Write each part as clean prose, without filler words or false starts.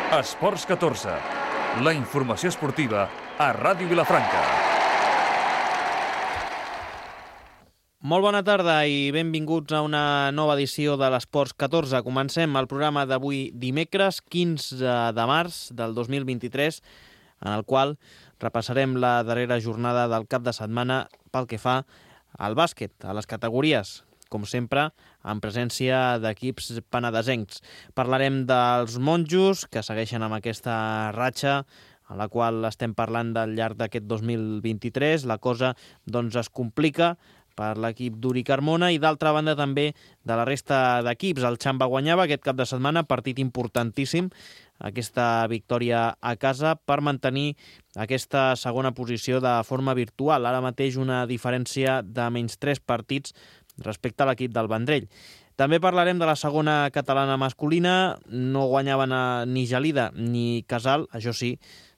Esports 14, la informació esportiva a Ràdio Vilafranca. Molt bona tarda i benvinguts a una nova edició de l'Esports 14. Comencem el programa d'avui dimecres 15 de març del 2023, en el qual repassarem la darrera jornada del cap de setmana pel que fa al bàsquet, a les categories, com sempre, en presència d'equips penedesencs. Parlarem dels monjos, que segueixen amb aquesta ratxa a la qual estem parlant del llarg d'aquest 2023. La cosa doncs, es complica per l'equip d'Uri Carmona i d'altra banda també de la resta d'equips. El Xamba guanyava aquest cap de setmana, partit importantíssim, aquesta victòria a casa per mantenir aquesta segona posició de forma virtual. Ara mateix una diferència de menys 3 partits respecte a l'equip del Vendrell. També parlarem de la segona catalana masculina. No guanyaven ni Gelida ni Casal, això sí,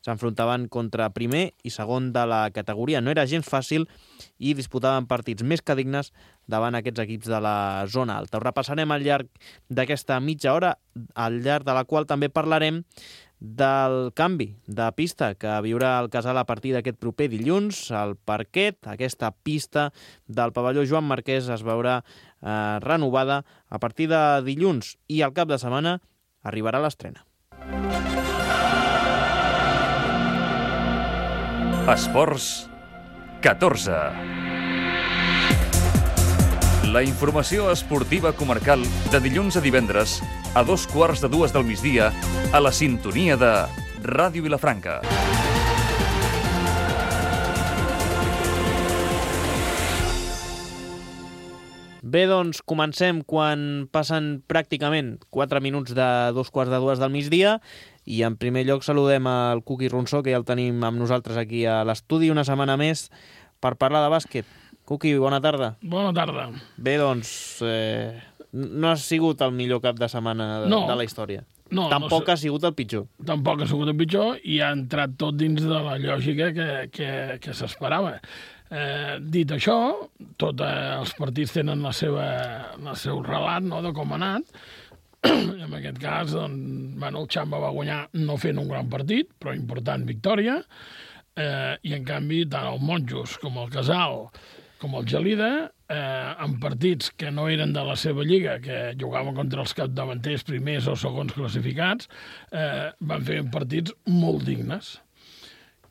s'enfrontaven contra primer i segon de la categoria. No era gens fàcil i disputaven partits més que dignes davant aquests equips de la zona alta. Ho repassarem al llarg d'aquesta mitja hora, al llarg de la qual també parlarem del canvi de pista que viurà el Casal a partir d'aquest proper dilluns. El parquet, aquesta pista del pavelló Joan Marquès, es veurà renovada a partir de dilluns i al cap de setmana arribarà l'estrena. Esports 14. La informació esportiva comarcal de dilluns a divendres a 2:15 del migdia a la sintonia de Ràdio Vilafranca. Bé, doncs comencem quan passen pràcticament 4 minuts de 2:15 del migdia i en primer lloc saludem al Cuqui Ronsó, que ja el tenim amb nosaltres aquí a l'estudi una setmana més per parlar de bàsquet. Cuqui, bona tarda. Bona tarda. Bé, doncs no ha sigut el millor cap de setmana de la història. No, Tampoc ha sigut el pitjor. Tampoc ha sigut el pitjor i ha entrat tot dins de la lògica que s'esperava. Dit això, tots els partits tenen el seu relat, no?, de com ha anat. I en aquest cas, doncs, el Xamba va guanyar no fent un gran partit, però important victòria. I en canvi, tant el Monjos com el Casal com el Gelida, en partits que no eren de la seva lliga, que jugaven contra els capdavanters primers o segons classificats, van fer partits molt dignes.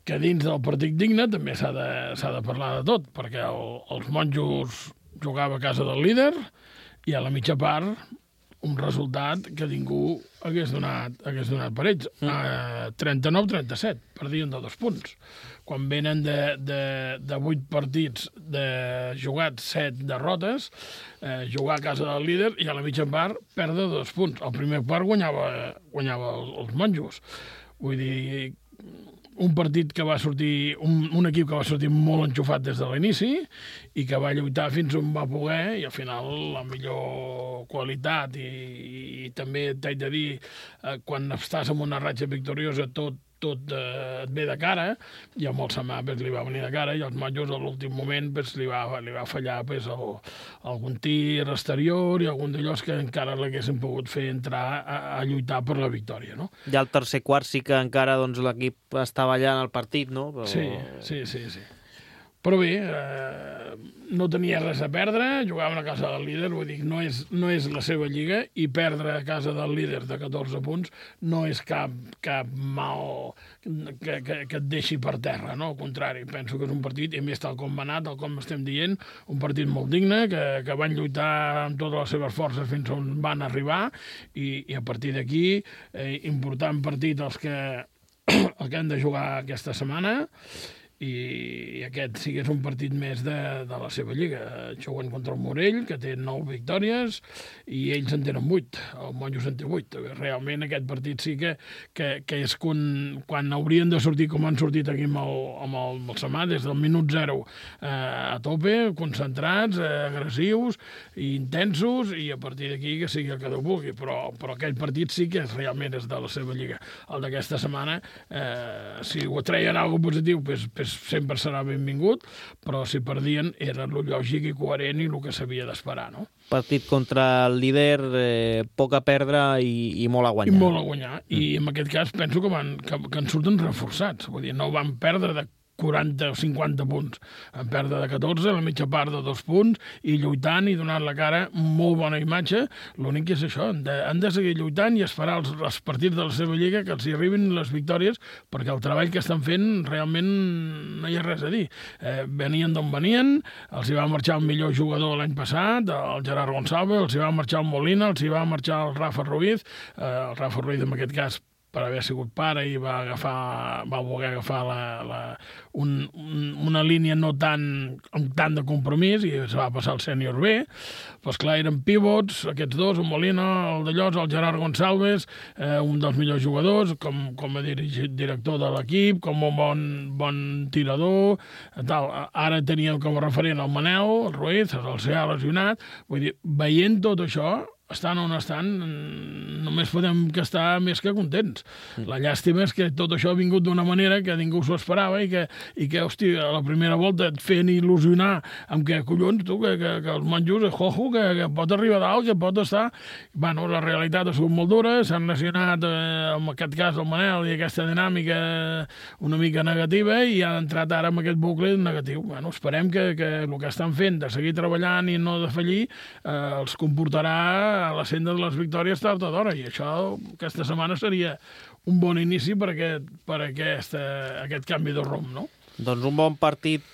Que dins del partit digne també s'ha de parlar de tot, perquè els Monjos jugava a casa del líder i a la mitja part un resultat que ningú hagués donat per ells. 39-37, perdien de 2 punts. Quan venen de 8 partits jugats, 7 derrotes, jugar a casa del líder i a la mitja part perdre 2 punts. El primer part guanyava els Monjos. Vull dir, un partit que va sortir, un equip que va sortir molt enxufat des de l'inici i que va lluitar fins on va poder i al final la millor qualitat i també t'haig de dir, quan estàs en una ratxa victoriosa tot et ve de cara, i a molt Samà li va venir de cara i els Monjos a l'últim moment li va fallar algun tir exterior i algun d'allòs que encara l'haguessin pogut fer entrar a lluitar per la victòria, no? I al tercer quart sí que encara l'equip estava allà en el partit, no? Però... Sí. Però bé, no tenia res a perdre, jugaven a casa del líder, vull dir, no és la seva lliga, i perdre a casa del líder de 14 punts no és cap mal que et deixi per terra, no? Al contrari, penso que és un partit, i més tal com va anar, tal com estem dient, un partit molt digne, que van lluitar amb totes les seves forces fins on van arribar, i a partir d'aquí, important partit el que han de jugar aquesta setmana, i aquest sí que és un partit més de la seva lliga. Juguen contra el Morell, que té 9 victòries, i ells en tenen 8. El Monjos en té 8. Realment aquest partit sí que és quan haurien de sortir com han sortit aquí amb el Samà, des del minut 0 a tope, concentrats, agressius i intensos, i a partir d'aquí que sigui el que Déu vulgui. Però aquell partit sí que realment és de la seva lliga. El d'aquesta setmana, si ho treien alguna cosa positiu, pues sempre serà benvingut, però si perdien era el lògic i coherent i el que s'havia d'esperar, no? Partit contra el líder, poc a perdre i molt a guanyar. I molt a guanyar. I en aquest cas penso que en surten reforçats. Vull dir, no van perdre de 40 o 50 punts. En perdre de 14, la mitja part de 2 punts, i lluitant i donant la cara, molt bona imatge. L'únic que és això, han de seguir lluitant i esperar els partits de la seva lliga que els hi arribin les victòries, perquè el treball que estan fent realment no hi ha res a dir. Venien d'on venien, els hi va marxar el millor jugador l'any passat, el Gerard Gonçalves, els hi va marxar el Molina, els hi va marxar el Rafa Ruiz, en aquest cas per haver sigut pare i va voler agafar una línia no amb tant de compromís i es va passar al sènior B. Doncs clar, eren pivots, aquests dos, el Molina, el Dallós, el Gerard Gonçalves, un dels millors jugadors, com a director de l'equip, com un bon tirador, tal. Ara teníem com a referent el Manel, el Ruiz, el s'ha lesionat. Vull dir, veient tot això, estan on estan, només podem que estar més que contents. La llàstima és que tot això ha vingut d'una manera que ningú s'ho esperava i que, hosti, a la primera volta et feien il·lusionar amb que, collons, tu, que els monjos, que pot arribar a dalt, que pot estar... Bueno, la realitat ha sigut molt dura, s'han lesionat, en aquest cas, el Manel, i aquesta dinàmica una mica negativa, i han entrat ara en aquest bucle negatiu. Bueno, esperem que el que estan fent de seguir treballant i no de fallir els comportarà a la senda de les victòries tard o d'hora, i això aquesta setmana seria un bon inici per aquest canvi de rumb, no? Doncs un bon partit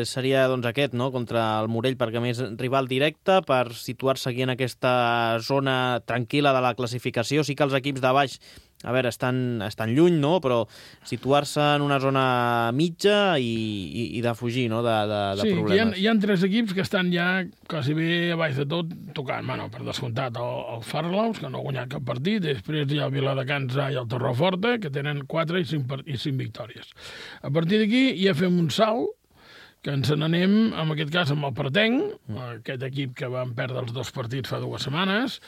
seria aquest, no?, contra el Morell, perquè a més rival directe, per situar-se aquí en aquesta zona tranquil·la de la classificació. Sí que els equips de baix, a veure, estan lluny, no?, però situar-se en una zona mitja i de fugir, no?, de problemes. Sí, hi ha 3 equips que estan ja quasi bé a baix de tot tocant. Bueno, per descomptat, el Farlaus, que no ha guanyat cap partit, després hi ha el Viladecans i el Torreforta, que tenen 4 i 5 victòries. A partir d'aquí ja fem un salt, que ens n'anem, en aquest cas, amb el Pretenc, aquest equip que van perdre els 2 partits fa 2 setmanes,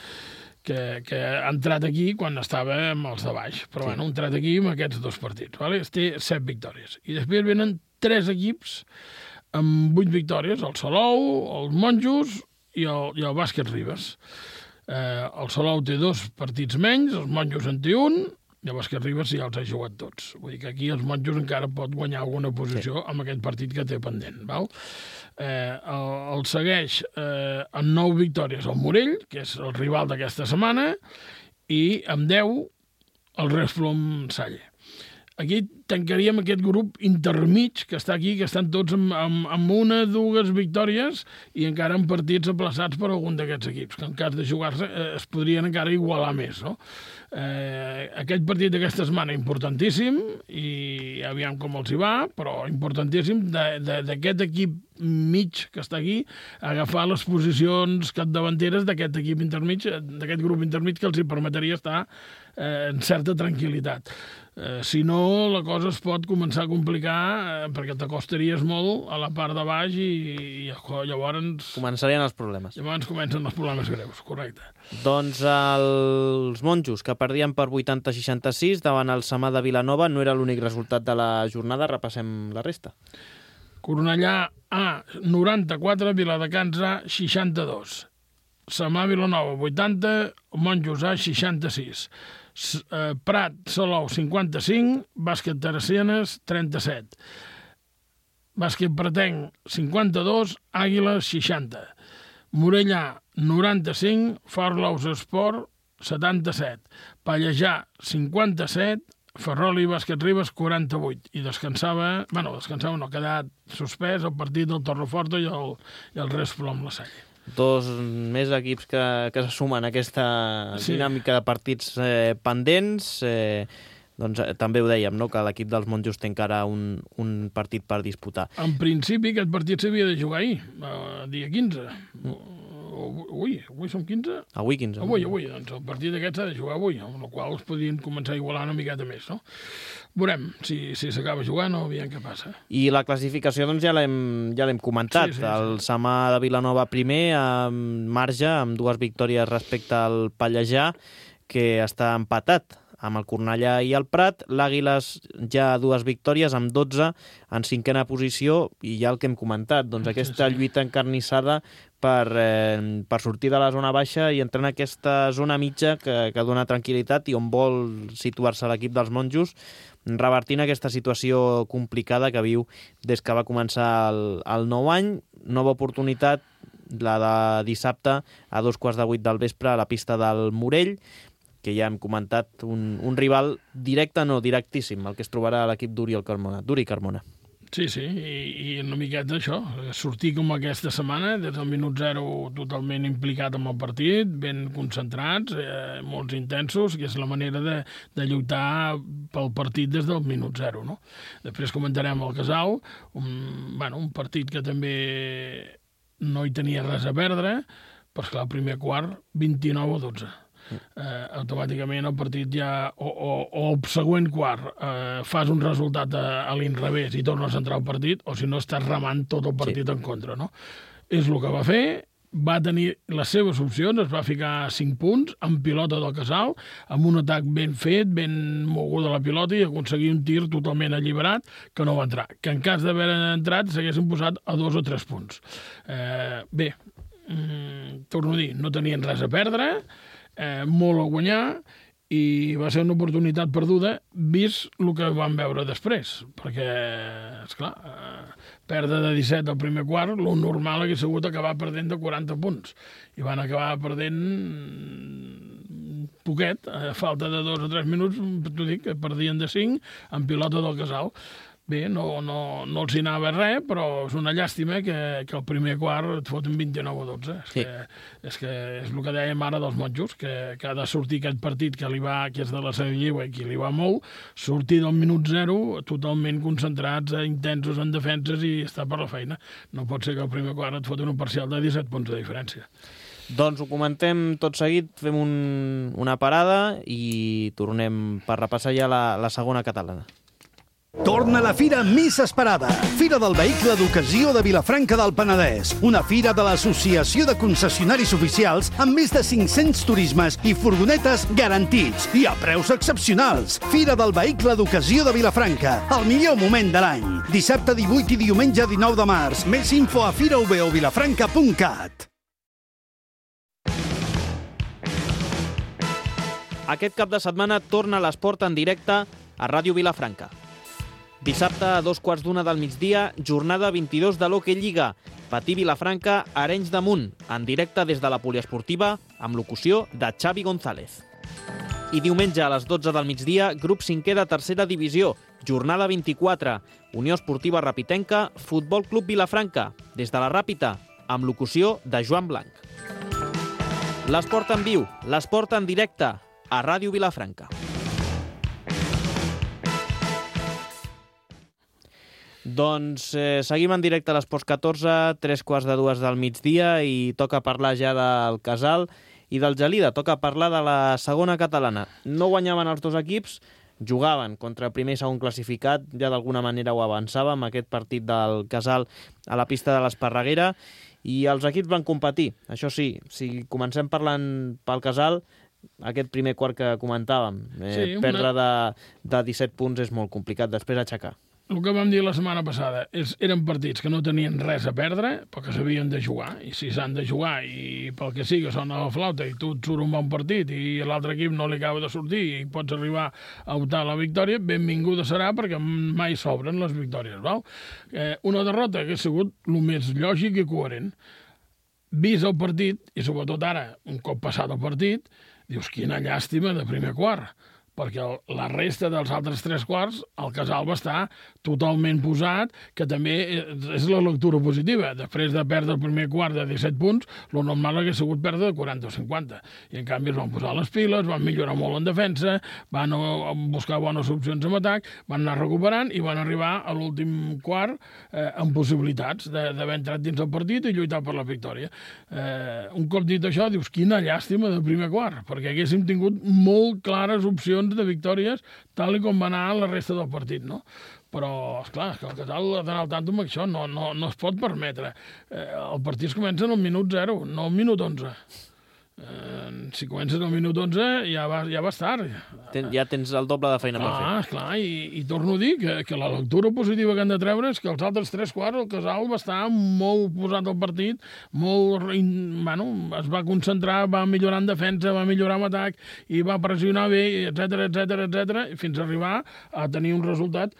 que ha entrat aquí quan estava amb els de baix. Però bueno, ha entrat aquí amb aquests 2 partits. Vale? Té 7 victòries. I després venen 3 equips amb 8 victòries, el Salou, els Monjos i el Bàsquet Ribes. El Salou té 2 partits menys, els Monjos en té 1, i el Bàsquet Ribes ja els ha jugat tots. Vull dir que aquí els Monjos encara pot guanyar alguna posició amb aquest partit que té pendent. Val? El segueix amb 9 victòries el Morell, que és el rival d'aquesta setmana, i amb 10 el Resplom Salle. Aquí tancaríem aquest grup intermig que està aquí, que estan tots amb 1 o 2 victòries i encara amb partits aplaçats per algun d'aquests equips, que en cas de jugar-se es podrien encara igualar més, no? Aquest partit d'aquesta setmana importantíssim, i aviam com els hi va, però importantíssim d'aquest equip mig que està aquí, agafar les posicions capdavanteres d'aquest equip intermig, d'aquest grup intermig, que els hi permetria estar en certa tranquil·litat. Si no, la cosa es pot començar a complicar perquè t'acostaries molt a la part de baix i llavors... Començarien els problemes. Llavors comencen els problemes greus, correcte. Doncs els Monjos, que perdien per 80-66 davant el Samà de Vilanova, no era l'únic resultat de la jornada. Repassem la resta. Cornellà A, 94, Viladecans A, 62. Samà Vilanova, 80, Monjos A, 66. Prat, Salou, 55, Bàsquet Teresianes, 37. Bàsquet Pretenc, 52, Àguiles, 60. Morellà, 95, Farlaus Esport, 77. Pallejà, 57, Ferrol i Bàsquet Ribes, 48. I descansava, no, ha quedat suspès el partit del Torreforta i el Resplom La Salle. 2 més equips que se sumen a aquesta dinàmica de partits pendents. Doncs també ho dèiem, no?, que l'equip dels Monjos té encara un partit per disputar. En principi aquest partit s'havia de jugar ahir, dia 15. Avui som 15? Avui 15. Avui, doncs el partit aquest s'ha de jugar avui, amb la qual es podrien començar a igualar una miqueta més, no? Veurem si s'acaba jugant o aviam què passa. I la classificació doncs ja l'hem comentat. Sí. El Samà de Vilanova primer, amb marge, amb 2 victòries respecte al Pallejà, que està empatat amb el Cornellà i el Prat. L'Àguiles ja 2 victòries, amb 12 en 5a posició, i ja el que hem comentat, doncs aquesta lluita encarnissada per sortir de la zona baixa i entrar en aquesta zona mitja que dona tranquil·litat i on vol situar-se l'equip dels monjos, revertint aquesta situació complicada que viu des que va començar el nou any. Nova oportunitat, la de dissabte a 7:15 del vespre a la pista del Morell, que ja hem comentat, un rival directe, no, directíssim, el que es trobarà a l'equip d'Uri Carmona. Sí, i una miqueta això, sortir com aquesta setmana, des del minut 0 totalment implicat en el partit, ben concentrats, molts intensos, que és la manera de lluitar pel partit des del minut 0, no? Després comentarem el Casal, un partit que també no hi tenia res a perdre, però esclar, el primer quart, 29-12. Automàticament el partit ja, o el següent quart fas un resultat a l'inrevés i tornes a entrar al partit, o si no estàs remant tot el partit en contra, no? És el que va fer, va tenir les seves opcions, es va ficar 5 punts amb pilota del Casal, amb un atac ben fet, ben moguda la pilota, i aconseguir un tir totalment alliberat que no va entrar, que en cas d'haver entrat s'haguessin posat a 2 o 3 punts. Bé, torno a dir, no tenien res a perdre, molt a guanyar, i va ser una oportunitat perduda vist el que vam veure després, perquè, esclar, perdre de 17 al primer quart, el normal hauria sigut acabar perdent de 40 punts, i van acabar perdent poquet, a falta de 2 o 3 minuts, t'ho dic, que perdien de 5 amb pilota del Casal. Bé, no els hi anava res, però és una llàstima que el primer quart et foten 29-12. És que és el que dèiem ara dels monjos, que ha de sortir aquest partit que és de la Seva Lliure i que li va molt, sortir del minut 0 totalment concentrats, intensos en defenses i estar per la feina. No pot ser que el primer quart et foten un parcial de 17 punts de diferència. Doncs ho comentem tot seguit, fem una parada i tornem per repassar ja la segona catalana. Torna la fira més esperada, Fira del Vehicle d'Ocasió de Vilafranca del Penedès, una fira de l'Associació de Concessionaris Oficials amb més de 500 turismes i furgonetes garantits i a preus excepcionals. Fira del Vehicle d'Ocasió de Vilafranca, el millor moment de l'any. Dissabte 18 i diumenge 19 de març. Més info a firaovilafranca.cat. Aquest cap de setmana torna l'esport en directe a Ràdio Vilafranca. Dissabte a 2:15 del migdia, jornada 22 de l'Hockey Lliga. Patí Vilafranca, Arenys de Munt, en directe des de la poliesportiva, amb locució de Xavi González. I diumenge a les 12 del migdia, grup 5è de tercera divisió, jornada 24, Unió Esportiva Rapitenca, Futbol Club Vilafranca, des de la Ràpita, amb locució de Joan Blanc. L'esport en viu, l'esport en directe, a Ràdio Vilafranca. Doncs seguim en directe a l'Esports 14, 3:15 del migdia, i toca parlar ja del Casal i del Gelida. Toca parlar de la segona catalana. No guanyaven els dos equips, jugaven contra el primer i segon classificat, ja d'alguna manera ho avançàvem, aquest partit del Casal a la pista de l'Esparreguera, i els equips van competir. Això sí, si comencem parlant pel Casal, aquest primer quart que comentàvem, perdre de 17 punts és molt complicat, després aixecar. El que vam dir la setmana passada eren partits que no tenien res a perdre, però que s'havien de jugar, i si s'han de jugar i pel que sigui sona la flauta i tu et surt un bon partit i l'altre equip no li acaba de sortir i pots arribar a optar a la victòria, benvinguda serà, perquè mai s'obren les victòries, val? Una derrota que ha sigut el més lògic i coherent. Vist el partit, i sobretot ara, un cop passat el partit, dius, quina llàstima de primer quart, perquè la resta dels altres 3 quarts el Casal va estar totalment posat, que també és la lectura positiva. Després de perdre el primer quart de 17 punts, el normal hauria sigut perdre de 40 o 50. I en canvi es van posar les piles, van millorar molt en defensa, van buscar bones opcions en atac, van anar recuperant i van arribar a l'últim quart amb possibilitats d'haver entrat dins el partit i lluitar per la victòria. Un cop dit això, dius, quina llàstima del primer quart, perquè haguéssim tingut molt clares opcions de victòries, tal com va anar la resta del partit, no? Però, esclar, que el Casal ha d'anar al tanto amb això, no es pot permetre. El partit comença al minut 0, no al minut 11. Si comences al minut 11 ja vas tard. Ja tens el doble de feina per fer. Clar, i torno a dir que la lectura positiva que han de treure és que els altres 3 quarts el Casal va estar molt posat al partit, es va concentrar, va millorar en defensa, va millorar en atac i va pressionar bé, etc, fins a arribar a tenir un resultat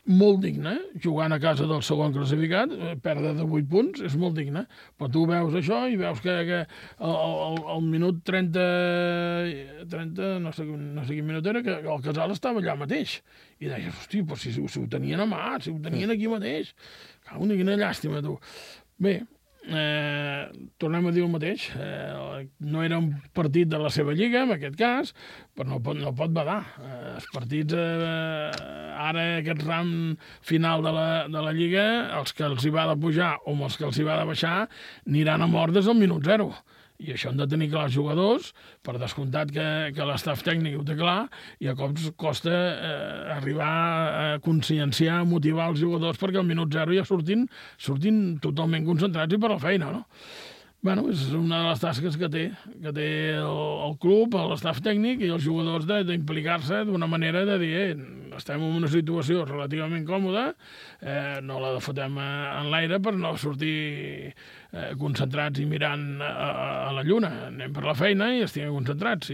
molt digne, jugant a casa del segon classificat, perdre de 8 punts, és molt digne. Però tu veus això i veus que al minut 30, no sé quin minut era, que el Casal estava allà mateix. I deies, hosti, però si ho tenien a mà, si ho tenien aquí mateix. Quina llàstima, tu. Bé, tornem a dir el mateix. No era un partit de la seva lliga, en aquest cas, però no pot badar. Els partits, ara aquest ram final de la lliga, els que els hi va de pujar o els que els hi va de baixar, aniran a mort des del minut 0. I això han de tenir clar els jugadors, per descomptat que l'estaf tècnic ho té clar, i a cops costa arribar a conscienciar, a motivar els jugadors perquè al minut 0 ja surtin totalment concentrats i per la feina, no? Bueno, és una de les tasques que té el club, l'estaf tècnic i els jugadors d'implicar-se d'una manera de dir estem en una situació relativament còmoda, no la fotem en l'aire per no sortir concentrats i mirant a la lluna. Anem per la feina i estiguem concentrats.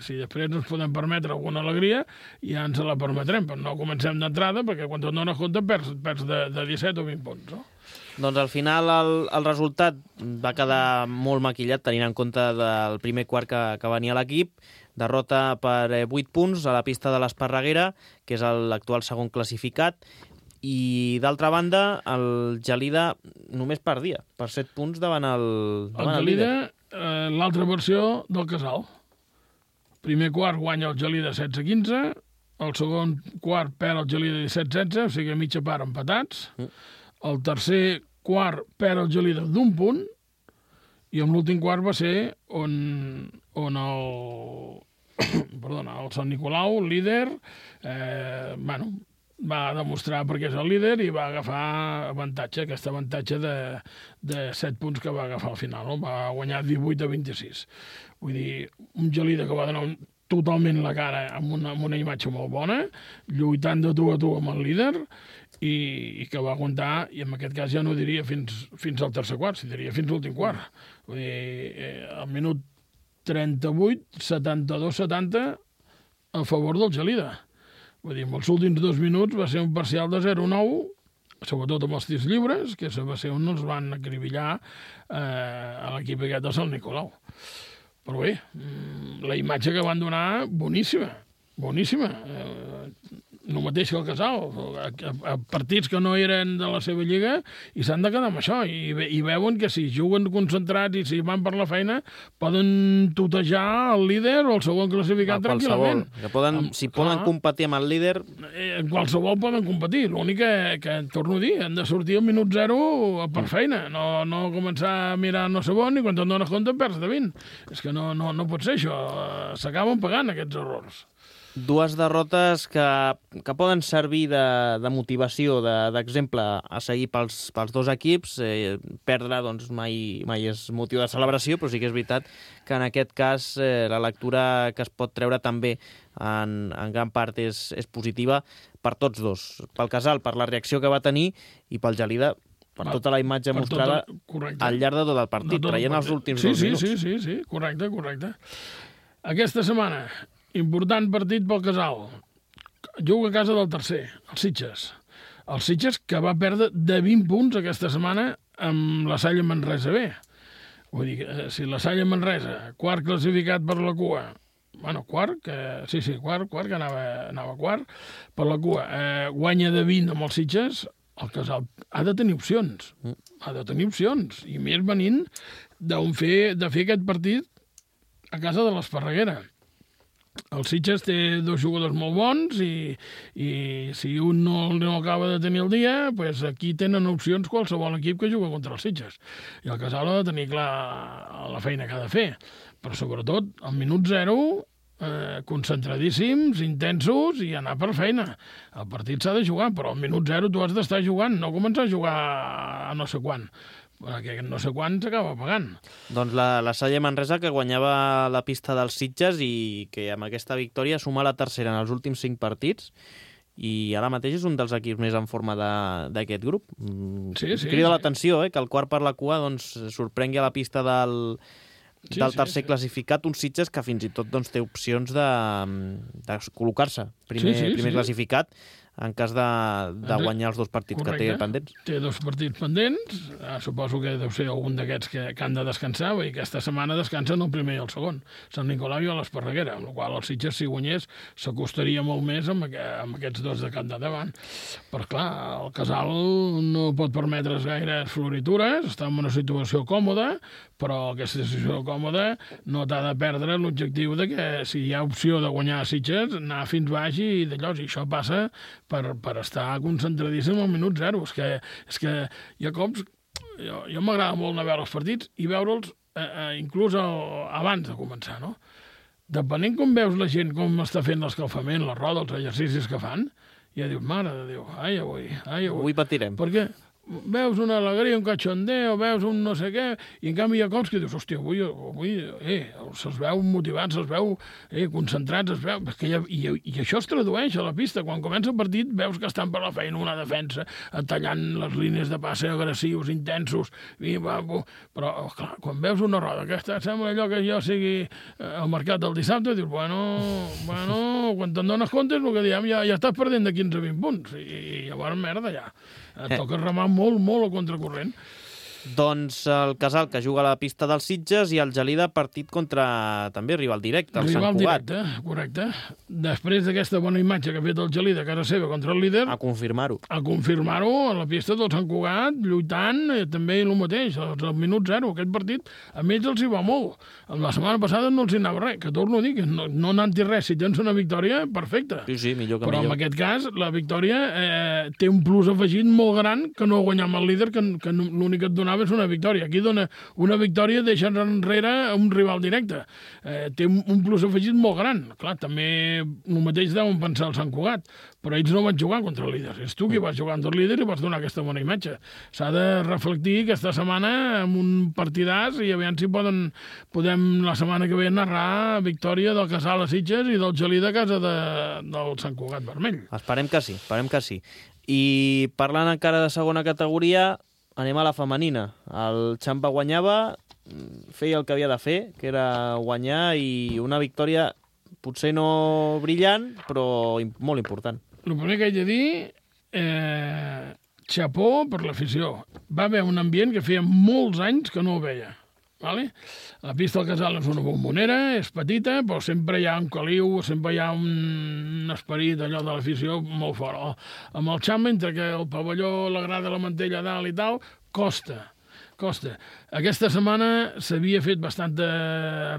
Si després ens podem permetre alguna alegria, ja ens la permetrem, però no comencem d'entrada perquè quan te'n dones compte perds de 17 o 20 punts, no? Doncs al final el resultat va quedar molt maquillat tenint en compte del primer quart que venia l'equip. Derrota per 8 punts a la pista de l'Esparreguera, que és l'actual segon classificat, i d'altra banda el Gelida només perdia per 7 punts davant el Gelida, l'altra versió del Casal. Primer quart guanya el Gelida 16-15, el segon quart perd el Gelida 17-16, o sigui a mitja part empatats. El tercer quart perd el Gelida d'1 punt i en l'últim quart va ser on el Sant Nicolau, líder, va demostrar perquè és el líder i va agafar avantatge, aquest avantatge de 7 punts que va agafar al final, no? Va guanyar 18-26. Vull dir, un Gelida que va donar totalment la cara amb una imatge molt bona, lluitant de tu a tu amb el líder, i que va aguantar, i en aquest cas ja no diria fins al tercer quart, si diria fins l'últim quart. Vull dir, al minut 38, 72-70 a favor del Gelida. Vull dir, en els últims 2 minuts va ser un parcial de 0-9, sobretot amb els tirs lliures, que va ser on els van acribillar a l'equip aquest de Sant Nicolau. Però bé, la imatge que van donar, boníssima. El mateix que el Casal, a partits que no eren de la seva lliga i s'han de quedar amb això, i veuen que si juguen concentrats i si van per la feina poden tutejar el líder o el segon classificat tranquil·lament. Si poden competir amb el líder... Qualsevol poden competir, l'únic que torno a dir, han de sortir al minut 0 per feina, no començar a mirar no sé on i quan te'n dones compte perds de 20. És que no pot ser això, s'acaben pagant aquests errors. 2 derrotes que poden servir de motivació, d'exemple a seguir pels 2 equips. Perdre doncs, mai és motiu de celebració, però sí que és veritat que en aquest cas la lectura que es pot treure també en gran part és positiva per tots dos. Pel Casal, per la reacció que va tenir, i pel Gelida, per tota la imatge mostrada al llarg de tot el partit, traient els últims 2 minuts. Sí, correcte. Aquesta setmana, important partit pel Casal. Juga a casa del tercer, el Sitges. El Sitges que va perdre de 20 punts aquesta setmana amb la Salle Manresa B. Vull dir, si la Salle Manresa, quart classificat per la cua, quart, que anava quart, per la cua, guanya de 20 amb el Sitges, el Casal ha de tenir opcions. I més venint de fer aquest partit a casa de l'Esparreguera. El Sitges té 2 jugadors molt bons i si un no acaba de tenir el dia, doncs aquí tenen opcions qualsevol equip que juga contra el Sitges. I el Casal ha de tenir clar la feina que ha de fer. Però sobretot, al minut 0, concentradíssims, intensos i anar per feina. El partit s'ha de jugar, però al minut 0 tu has d'estar jugant, no començar a jugar a no sé quan. perquè no sé quan s'acaba pagant. Doncs la Salle Manresa, que guanyava la pista dels Sitges i que amb aquesta victòria suma la tercera en els últims 5 partits i ara mateix és un dels equips més en forma d'aquest grup. Crida l'atenció, que el quart per la cua sorprengui a la pista del tercer classificat, un Sitges que fins i tot té opcions de col·locar-se primer classificat en cas de guanyar els 2 partits que té pendents. Té 2 partits pendents, suposo que deu ser algun d'aquests que han de descansar, i aquesta setmana descansen el primer i el segon, Sant Nicolau i l'Esparreguera, amb la qual el Sitges, si guanyés, s'acostaria molt més amb aquests 2 de cap de davant. Però clar, el Casal no pot permetre's gaires floritures, està en una situació còmoda, però aquesta situació còmoda no t'ha de perdre l'objectiu de que si hi ha opció de guanyar a Sitges, anar fins baix i d'allò, i això passa per estar concentradíssim al minut 0. És que hi ha cops... Jo m'agrada molt anar a veure els partits i veure'ls inclús abans de començar, no? Depenent com veus la gent, com està fent l'escalfament, la roda, els exercicis que fan, ja dius, mare de Déu, ai, avui patirem. Perquè veus una alegria, un cachondeo, veus un no sé què, i en canvi hi ha cops que dius, hòstia, avui se'ls veu motivats, se'ls veu concentrats, es veu... I això es tradueix a la pista. Quan comença el partit veus que estan per la feina, una defensa, tallant les línies de passe agressius, intensos, però, clar, quan veus una roda que sembla allò que jo sigui al mercat del dissabte, dius, bueno, quan te'n dones compte, el que diem, ja estàs perdent de 15 a 20 punts, i llavors, merda, ja. Et toca remar molt al contracorrent. Doncs el Casal, que juga a la pista dels Sitges, i el Gelida, partit contra també rival directe, el Sant Cugat. Rival directe, correcte. Després d'aquesta bona imatge que ha fet el Gelida a casa seva contra el líder... A confirmar-ho. A la pista del Sant Cugat, lluitant, també el mateix, al minut 0, aquest partit, a ells els hi va molt. La setmana passada no els hi anava res, que torno a dir que no anant-hi res, si tens una victòria, perfecte. Sí, millor que però millor. En aquest cas, la victòria té un plus afegit molt gran que no guanyar amb el líder, que l'únic que et donava és una victòria. Aquí dona una victòria, deixa enrere un rival directe. Té un plus afegit molt gran. Clar, també el mateix deuen pensar el Sant Cugat, però ells no van jugar contra el líder. És tu qui vas jugar contra el líder i vas donar aquesta bona imatge. S'ha de reflectir aquesta setmana amb un partidàs i aviam si podem la setmana que ve narrar victòria del Casal a Sitges i del Gelida a casa del Sant Cugat Vermell. Esperem que sí. I parlant encara de segona categoria, anem a la femenina. El Xampa guanyava, feia el que havia de fer, que era guanyar, i una victòria potser no brillant, però molt important. El primer que haig de dir, xapó per l'afició. Va haver un ambient que feia molts anys que no ho veia. Vale? La pista del Casal és una bombonera, és petita, però sempre hi ha un caliu, sempre hi ha un esperit allò de l'afició molt fort. Amb el Xampa, entre que el pavelló, la grada, la mantella a dalt i tal, costa. Aquesta setmana s'havia fet bastanta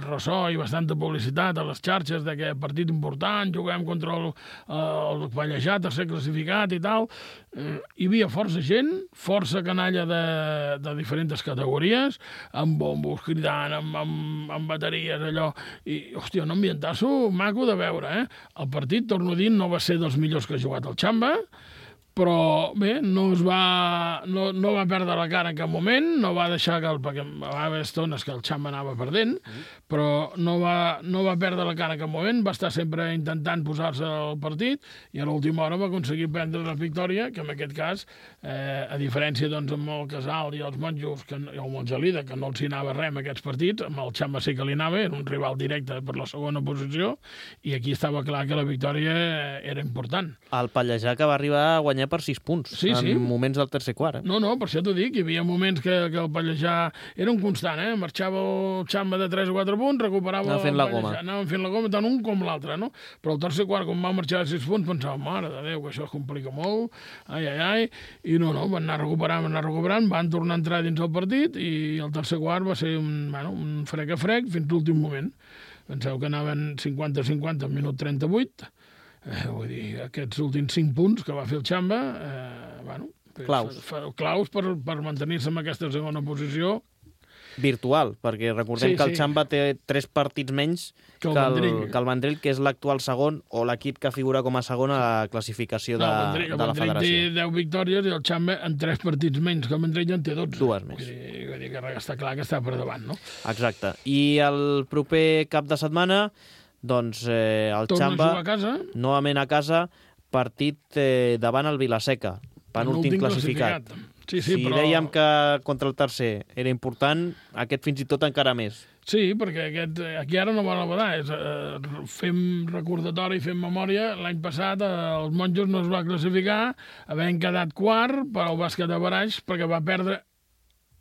ressò i bastanta publicitat a les xarxes de que partit important, juguem contra el Pallejà, tercer classificat i tal. Hi havia força gent, força canalla de diferents categories, amb bombos, cridant, amb bateries, allò. I, hòstia, un ambientasso maco de veure, El partit, torno a dir, no va ser dels millors que ha jugat el Xampa, però bé, no va perdre la cara en cap moment, no va deixar perquè va haver estones que el Xampa anava perdent, però no va perdre la cara en cap moment, va estar sempre intentant posar-se al partit i a l'última hora va aconseguir prendre la victòria, que en aquest cas, a diferència amb el Casal i els monjos, o amb el Gelida, que no els hi anava res en aquests partits, amb el Xampa sí que li anava, era un rival directe per la segona posició, i aquí estava clar que la victòria era important. El Pallejà, que va arribar a guanyar per 6 punts, en moments del tercer quart. No, per això t'ho dic, hi havia moments que el Pallejà era un constant, marxava el Xampa de 3 o 4 punts, recuperava anava fent la goma, tant un com l'altre, no? Però el tercer quart, quan va marxar de 6 punts, pensava, mare de Déu, que això es complica molt, i no, van anar recuperant, van tornar a entrar dins el partit, i el tercer quart va ser un frec a frec fins l'últim moment. Penseu que anaven 50-50 al minut 38, vull dir, aquests últims 5 punts que va fer el Xampa, claus per mantenir-se en aquesta segona posició, virtual, perquè recordem que el Xamba té 3 partits menys que el Vendrell, que és l'actual segon o l'equip que figura com a segon a la classificació de la federació. El Vendrell té 10 victòries i el Xamba en 3 partits menys, que el Vendrell en té 12. 2 més. Vull dir que està clar que està per davant, no? Exacte. I el proper cap de setmana, doncs el Xamba, novament a casa, partit davant el Vilaseca, penúltim classificat. Sí, si però... dèiem que contra el tercer era important, aquest fins i tot encara més. Sí, perquè aquí ara no va novedar. Fem recordatori, fem memòria. L'any passat els Monjos no es va classificar, havent quedat quart per al bàsquet de Baraix, perquè va perdre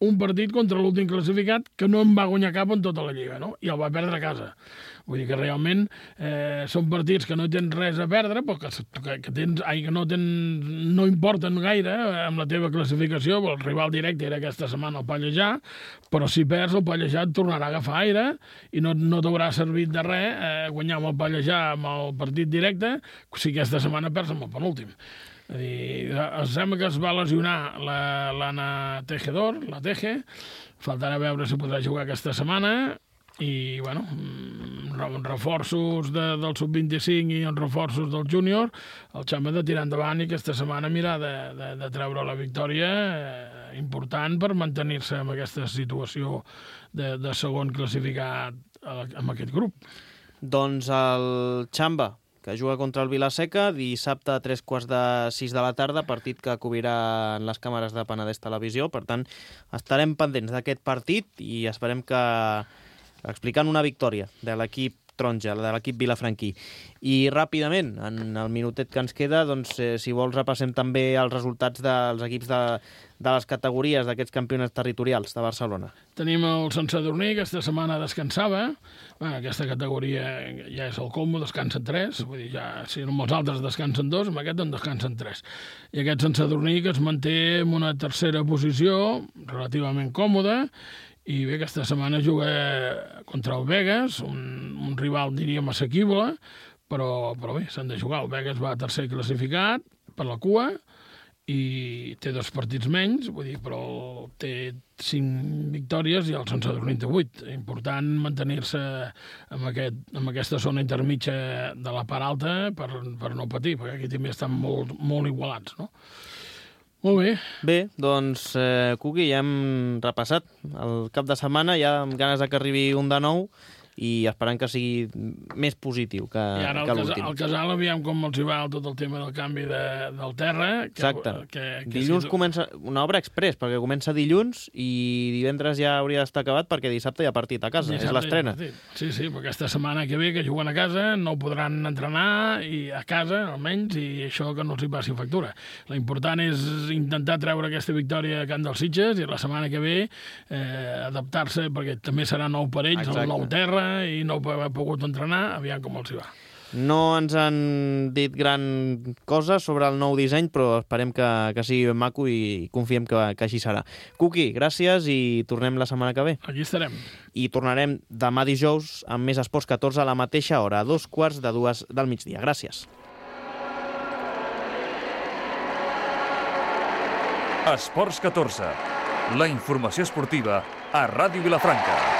un partit contra l'últim classificat que no en va guanyar cap en tota la Lliga, no? I el va perdre a casa. Vull dir que realment són partits que no tens res a perdre, però que no importen gaire amb la teva classificació. El rival directe era aquesta setmana el Pallejà, però si perds el Pallejà et tornarà a agafar aire i no t'haurà servit de res guanyar amb el Pallejà amb el partit directe si aquesta setmana perds amb el penúltim. És a dir, sembla que es va lesionar l'Anna Tejedor, la Teje, faltarà veure si podrà jugar aquesta setmana, i, bueno, reforços del sub-25 i els reforços del júnior, el Xamba de tirar endavant i aquesta setmana mirar de treure la victòria important per mantenir-se en aquesta situació de segon classificat amb aquest grup. Doncs el Xamba, que juga contra el Vilaseca, dissabte a 3:45 de la tarda, partit que cobrirà en les càmeres de Penedès Televisió. Per tant, estarem pendents d'aquest partit i esperem que explicant una victòria de l'equip taronja, de l'equip vilafranquí. I ràpidament, en el minutet que ens queda, doncs, si vols repassem també els resultats dels equips de les categories d'aquests campionats territorials de Barcelona. Tenim el Sant Sadurní, que aquesta setmana descansava. Aquesta categoria ja és el colmo, descansen 3. Vull dir, ja, si amb els altres descansen 2, amb aquest en descansen 3. I aquest Sant Sadurní que es manté en una tercera posició, relativament còmoda, i bé, aquesta setmana juga contra el Begues, un rival, diríem, assequible, però bé, s'han de jugar. El Begues va tercer classificat per la cua i té 2 partits menys, vull dir, però té 5 victòries i el Sant Sadurní té 8. Important mantenir-se en aquesta zona intermitja de la part alta per no patir, perquè aquí també estan molt igualats, no? Molt bé. Bé, doncs, Cuqui, ja hem repassat el cap de setmana, ja amb ganes que arribi un de nou i esperant que sigui més positiu que l'últim. I ara el Casal, aviam com els hi va tot el tema del canvi del terra. Exacte. Dilluns comença una obra express, perquè comença dilluns i divendres ja hauria d'estar acabat perquè dissabte hi ha partit a casa, és l'estrena. Sí, però aquesta setmana que ve, que juguen a casa, no podran entrenar i a casa, almenys, i això que no els hi passi factura. L'important és intentar treure aquesta victòria a Can dels Sitges i la setmana que ve adaptar-se, perquè també serà nou per ells, el nou terra, i no ha pogut entrenar, aviam com els hi va. No ens han dit gran cosa sobre el nou disseny, però esperem que sigui ben maco i confiem que així serà. Cuqui, gràcies i tornem la setmana que ve. Aquí estarem. I tornarem demà dijous amb més Esports 14 a la mateixa hora, a 2:45 del migdia. Gràcies. Esports 14, la informació esportiva a Ràdio Vilafranca.